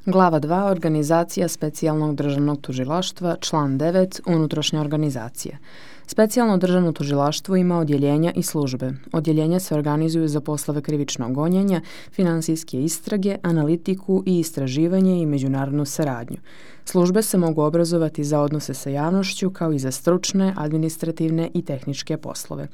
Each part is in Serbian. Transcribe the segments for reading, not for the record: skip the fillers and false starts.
Glava 2. Organizacija specijalnog državnog tužilaštva, član 9. Unutrašnja organizacija. Specijalno državno tužilaštvo ima odjeljenja i službe. Odjeljenja se organizuju za poslove krivičnog gonjenja, finansijske istrage, analitiku i istraživanje i međunarodnu saradnju. Službe se mogu obrazovati za odnose sa javnošću kao i za stručne, administrativne i tehničke poslove.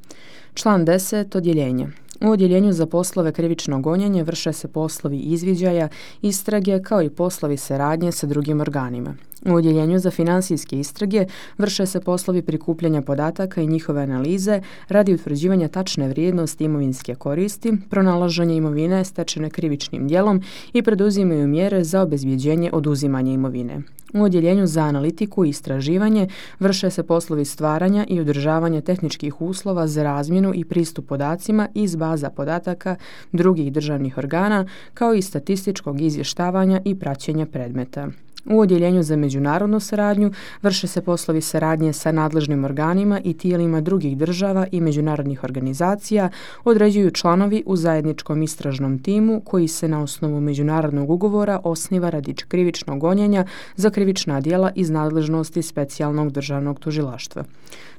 Član 10. Odjeljenje. U odjeljenju za poslove krivičnog gonjenja vrše se poslovi izviđaja, istrage kao i poslovi saradnje sa drugim organima. U odjeljenju za finansijske istrage vrše se poslovi prikupljanja podataka i njihove analize radi utvrđivanja tačne vrijednosti imovinske koristi, pronalaženja imovine stečene krivičnim djelom i preduzimaju mjere za obezbjeđenje oduzimanja imovine. U odjeljenju za analitiku i istraživanje vrše se poslovi stvaranja i održavanja tehničkih uslova za razmjenu i pristup podacima iz baza podataka drugih državnih organa, kao i statističkog izvještavanja i praćenja predmeta. U odjeljenju za međunarodnu saradnju vrše se poslovi saradnje sa nadležnim organima i tijelima drugih država i međunarodnih organizacija, određuju članovi u zajedničkom istražnom timu koji se na osnovu međunarodnog ugovora osniva radi krivičnog gonjenja za krivična djela iz nadležnosti specijalnog državnog tužilaštva.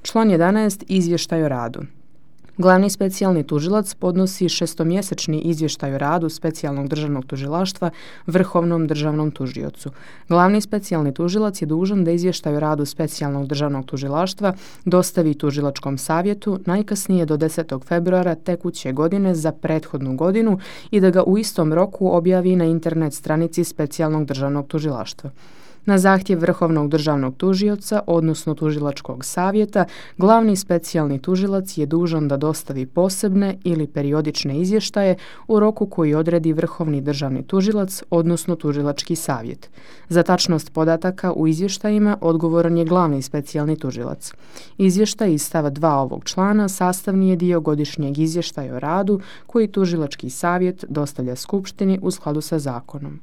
Član 11. Izvještaj o radu. Glavni specijalni tužilac podnosi šestomjesečni izvještaj o radu specijalnog državnog tužilaštva Vrhovnom državnom tužiocu. Glavni specijalni tužilac je dužan da izvještaj o radu specijalnog državnog tužilaštva dostavi tužilačkom savjetu najkasnije do 10. februara tekuće godine za prethodnu godinu i da ga u istom roku objavi na internet stranici specijalnog državnog tužilaštva. Na zahtjev Vrhovnog državnog tužioca, odnosno tužilačkog savjeta, glavni specijalni tužilac je dužan da dostavi posebne ili periodične izvještaje u roku koji odredi Vrhovni državni tužilac, odnosno tužilački savjet. Za tačnost podataka u izvještajima odgovoran je glavni specijalni tužilac. Izvještaj iz stava 2 ovog člana sastavni je dio godišnjeg izvještaja o radu koji tužilački savjet dostavlja skupštini u skladu sa zakonom.